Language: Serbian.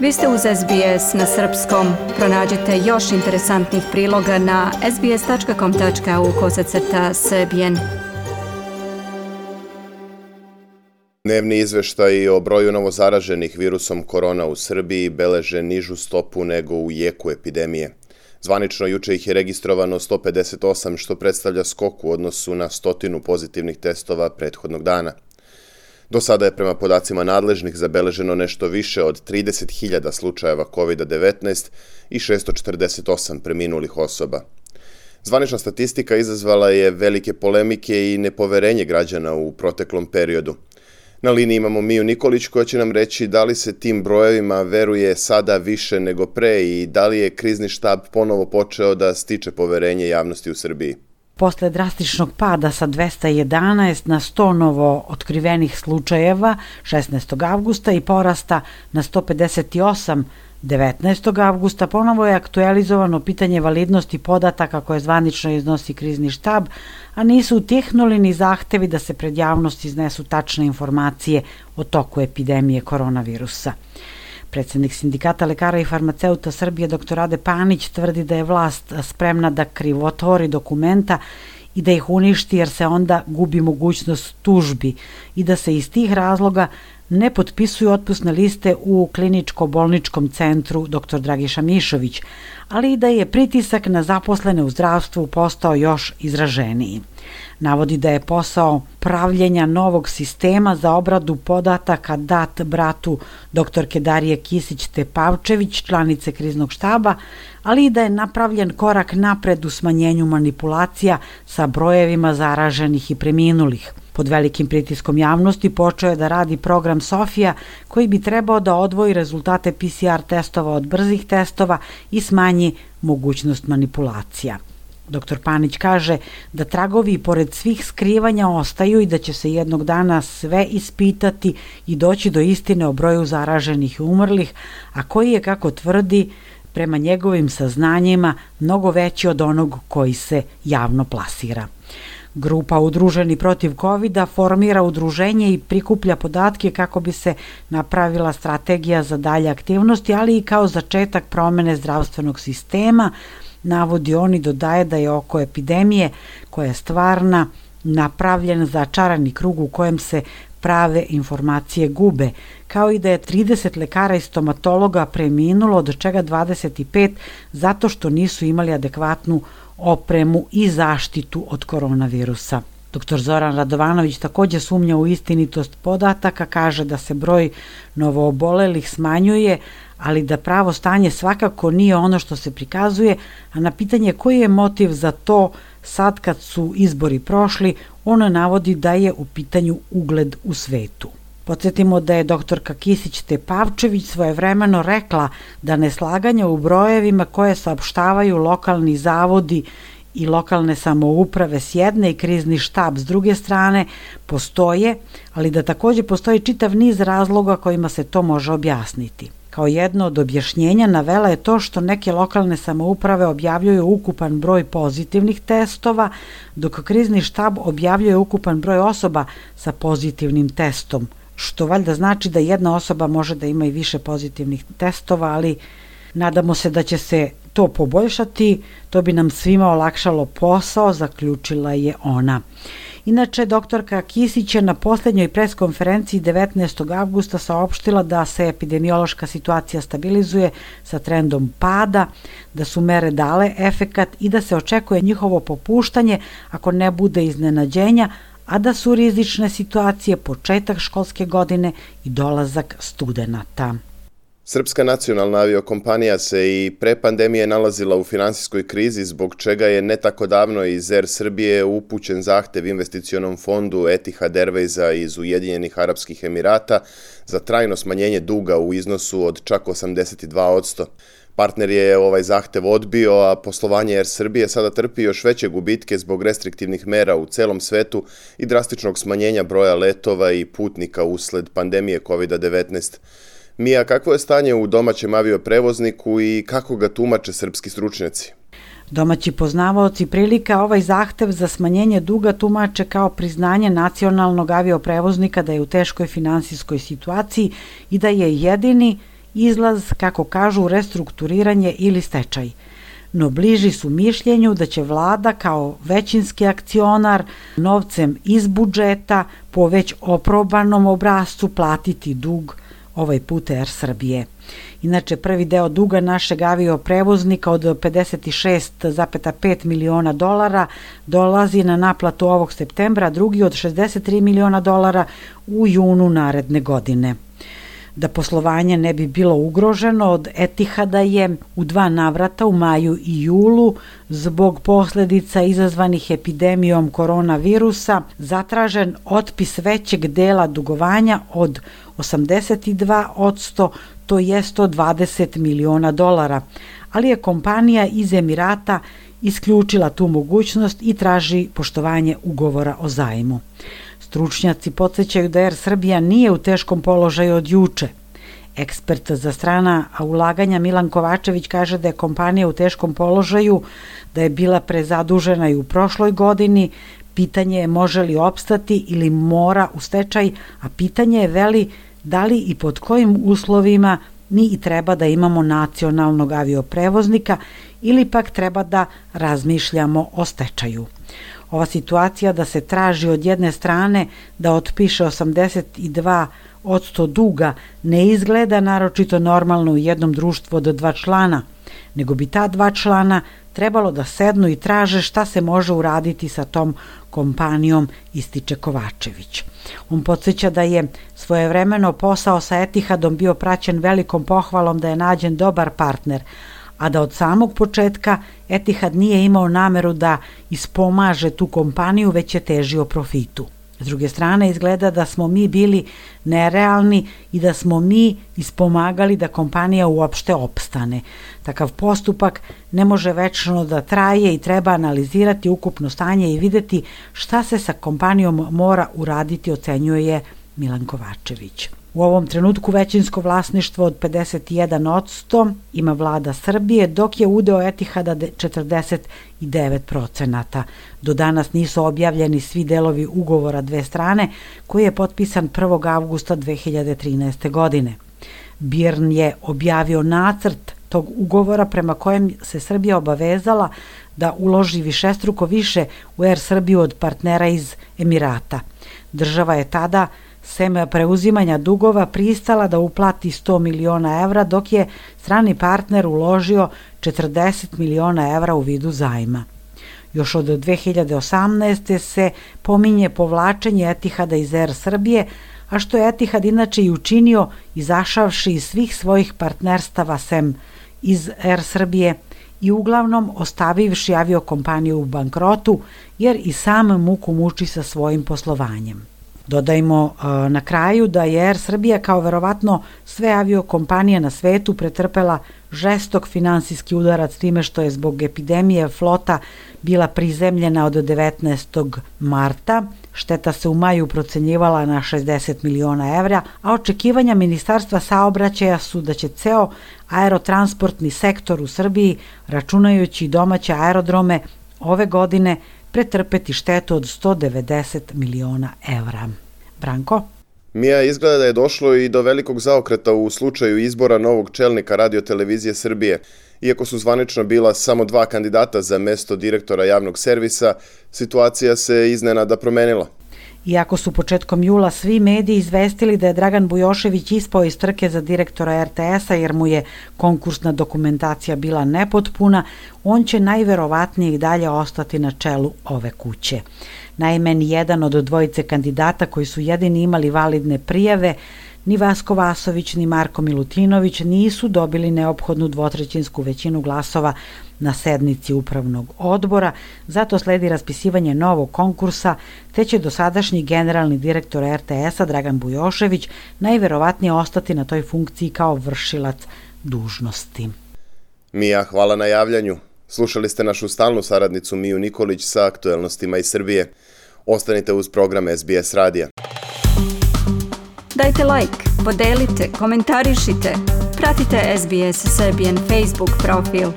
Vi ste uz SBS na srpskom. Pronađite još interesantnih priloga na sbs.com.au/srbijen. Dnevni izveštaji o broju novozaraženih virusom korona u Srbiji beleže nižu stopu nego u jeku epidemije. Zvanično juče ih je registrovano 158, što predstavlja skok u odnosu na 100 pozitivnih testova prethodnog dana. Do sada je prema podacima nadležnih zabeleženo nešto više od 30.000 slučajeva COVID-19 i 648 preminulih osoba. Zvanična statistika izazvala je velike polemike i nepoverenje građana u proteklom periodu. Na liniji imamo Miju Nikolić koja će nam reći da li se tim brojevima veruje sada više nego pre i da li je krizni štab ponovo počeo da stiče poverenje javnosti u Srbiji. Posle drastičnog pada sa 211 na 100 novo otkrivenih slučajeva 16. avgusta i porasta na 158 19. avgusta, ponovo je aktualizovano pitanje validnosti podataka koje zvanično iznosi krizni štab, a nisu utihnuli ni zahtevi da se pred javnost iznesu tačne informacije o toku epidemije koronavirusa. Predsednik Sindikata lekara i farmaceuta Srbije dr. Rade Panić tvrdi da je vlast spremna da krivotvori dokumenta i da ih uništi jer se onda gubi mogućnost tužbi i da se iz tih razloga ne potpisuju otpusne liste u kliničko-bolničkom centru dr. Dragiša Mišović, ali i da je pritisak na zaposlene u zdravstvu postao još izraženiji. Navodi da je posao pravljenja novog sistema za obradu podataka dat bratu dr. Darije Kisić-Tepavčević, članice kriznog štaba, ali i da je napravljen korak napred u smanjenju manipulacija sa brojevima zaraženih i preminulih. Pod velikim pritiskom javnosti počeo je da radi program Sofija koji bi trebao da odvoji rezultate PCR testova od brzih testova i smanji mogućnost manipulacija. Dr. Panić kaže da tragovi pored svih skrivanja ostaju i da će se jednog dana sve ispitati i doći do istine o broju zaraženih i umrlih, a koji je, kako tvrdi, prema njegovim saznanjima mnogo veći od onog koji se javno plasira. Grupa Udruženi protiv COVID-a formira udruženje i prikuplja podatke kako bi se napravila strategija za dalje aktivnosti, ali i kao začetak promene zdravstvenog sistema. Navodi on i dodaje da je oko epidemije, koja je stvarna, napravljen začarani krug u kojem se prave informacije gube, kao i da je 30 lekara i stomatologa preminulo, od čega 25 zato što nisu imali adekvatnu opremu i zaštitu od koronavirusa. Dr. Zoran Radovanović takođe sumnja u istinitost podataka, kaže da se broj novoobolelih smanjuje, ali da pravo stanje svakako nije ono što se prikazuje, a na pitanje koji je motiv za to sad kad su izbori prošli, ono navodi da je u pitanju ugled u svetu. Podsjetimo da je doktorka Kisić-Tepavčević svojevremeno rekla da neslaganja u brojevima koje saopštavaju lokalni zavodi i lokalne samouprave s jedne i krizni štab s druge strane postoje, ali da takođe postoji čitav niz razloga kojima se to može objasniti. Kao jedno od objašnjenja navela je to što neke lokalne samouprave objavljuju ukupan broj pozitivnih testova, dok krizni štab objavljuje ukupan broj osoba sa pozitivnim testom, što valjda znači da jedna osoba može da ima i više pozitivnih testova, ali nadamo se da će se to poboljšati, to bi nam svima olakšalo posao, zaključila je ona. Inače, doktorka Kisić je na posljednjoj preskonferenciji 19. avgusta saopštila da se epidemiološka situacija stabilizuje sa trendom pada, da su mere dale efekat i da se očekuje njihovo popuštanje ako ne bude iznenađenja, a da su rizične situacije početak školske godine i dolazak studenata. Srpska nacionalna aviokompanija se i pre pandemije nalazila u finansijskoj krizi, zbog čega je ne tako davno iz Air Srbije upućen zahtev investicionom fondu Etihad Airwaysa iz Ujedinjenih Arapskih Emirata za trajno smanjenje duga u iznosu od čak 82%. Partner je ovaj zahtev odbio, a poslovanje Air Srbije sada trpi još veće gubitke zbog restriktivnih mera u celom svetu i drastičnog smanjenja broja letova i putnika usled pandemije COVID-19. Mija, kakvo je stanje u domaćem avioprevozniku i kako ga tumače srpski stručnjaci? Domaći poznavaoci prilika ovaj zahtev za smanjenje duga tumače kao priznanje nacionalnog avioprevoznika da je u teškoj finansijskoj situaciji i da je jedini izlaz, kako kažu, restrukturiranje ili stečaj. No bliži su mišljenju da će vlada kao većinski akcionar novcem iz budžeta po već oprobanom obrascu platiti dug ovaj put Er Srbije. Inače, prvi deo duga našeg avioprevoznika od 56,5 miliona dolara dolazi na naplatu ovog septembra, drugi od 63 miliona dolara u junu naredne godine. Da poslovanje ne bi bilo ugroženo, od Etihada je u 2 navrata u maju i julu zbog posledica izazvanih epidemijom koronavirusa zatražen otpis većeg dela dugovanja od 82%, to je 120 miliona dolara, ali je kompanija iz Emirata isključila tu mogućnost i traži poštovanje ugovora o zajmu. Stručnjaci podsjećaju da Er Srbija nije u teškom položaju od juče. Ekspert za strana ulaganja Milan Kovačević kaže da je kompanija u teškom položaju, da je bila prezadužena i u prošloj godini. Pitanje je može li opstati ili mora u stečaj, a pitanje je da li i pod kojim uslovima mi i treba da imamo nacionalnog avioprevoznika ili pak treba da razmišljamo o stečaju. Ova situacija da se traži od jedne strane da otpiše 82% duga ne izgleda naročito normalno u jednom društvu od 2 člana, nego bi ta 2 člana trebalo da sednu i traže šta se može uraditi sa tom kompanijom, ističe Kovačević. On podsjeća da je svojevremeno posao sa Etihadom bio praćen velikom pohvalom da je nađen dobar partner, a da od samog početka Etihad nije imao nameru da ispomaže tu kompaniju, već je težio profitu. S druge strane, izgleda da smo mi bili nerealni i da smo mi ispomagali da kompanija uopšte opstane. Takav postupak ne može večno da traje i treba analizirati ukupno stanje i videti šta se sa kompanijom mora uraditi, ocenjuje Milan Kovačević. U ovom trenutku većinsko vlasništvo od 51% ima vlada Srbije, dok je udeo Etihada 49%. Do danas nisu objavljeni svi delovi ugovora dve strane, koji je potpisan 1. avgusta 2013. godine. BIRN je objavio nacrt tog ugovora prema kojem se Srbija obavezala da uloži višestruko više u Er Srbiju od partnera iz Emirata. Država je tada sem preuzimanja dugova pristala da uplati 100 miliona evra, dok je strani partner uložio 40 miliona evra u vidu zajma. Još od 2018. se pominje povlačenje Etihada iz Er Srbije, a što je Etihad inače i učinio izašavši iz svih svojih partnerstava sem iz Er Srbije i uglavnom ostavivši aviokompaniju u bankrotu, jer i sam muku muči sa svojim poslovanjem. Dodajmo na kraju da je Er Srbija kao verovatno sve aviokompanije na svetu pretrpela žestok finansijski udarac time što je zbog epidemije flota bila prizemljena od 19. marta. Šteta se u maju procenjivala na 60 miliona evra, a očekivanja Ministarstva saobraćaja su da će ceo aerotransportni sektor u Srbiji, računajući i domaće aerodrome, ove godine pretrpeti štetu od 190 miliona evra. Branko? Mija, izgleda da je došlo i do velikog zaokreta u slučaju izbora novog čelnika Radio-televizije Srbije. Iako su zvanično bila samo 2 kandidata za mesto direktora javnog servisa, situacija se iznenada promenila. Iako su početkom jula svi mediji izvestili da je Dragan Bujošević ispao iz trke za direktora RTS-a jer mu je konkursna dokumentacija bila nepotpuna, on će najverovatnije i dalje ostati na čelu ove kuće. Naime, ni jedan od dvojice kandidata koji su jedini imali validne prijave, ni Vasko Vasović ni Marko Milutinović nisu dobili neophodnu 2/3 većinu glasova na sednici upravnog odbora, zato sledi raspisivanje novog konkursa, te će dosadašnji generalni direktor RTS-a Dragan Bujošević najverovatnije ostati na toj funkciji kao vršilac dužnosti. Mija, hvala na javljanju. Slušali ste našu stalnu saradnicu Miju Nikolić sa aktuelnostima iz Srbije. Ostanite uz program SBS radija. Dajte like, podelite, komentarišite, pratite SBS Serbian Facebook profil.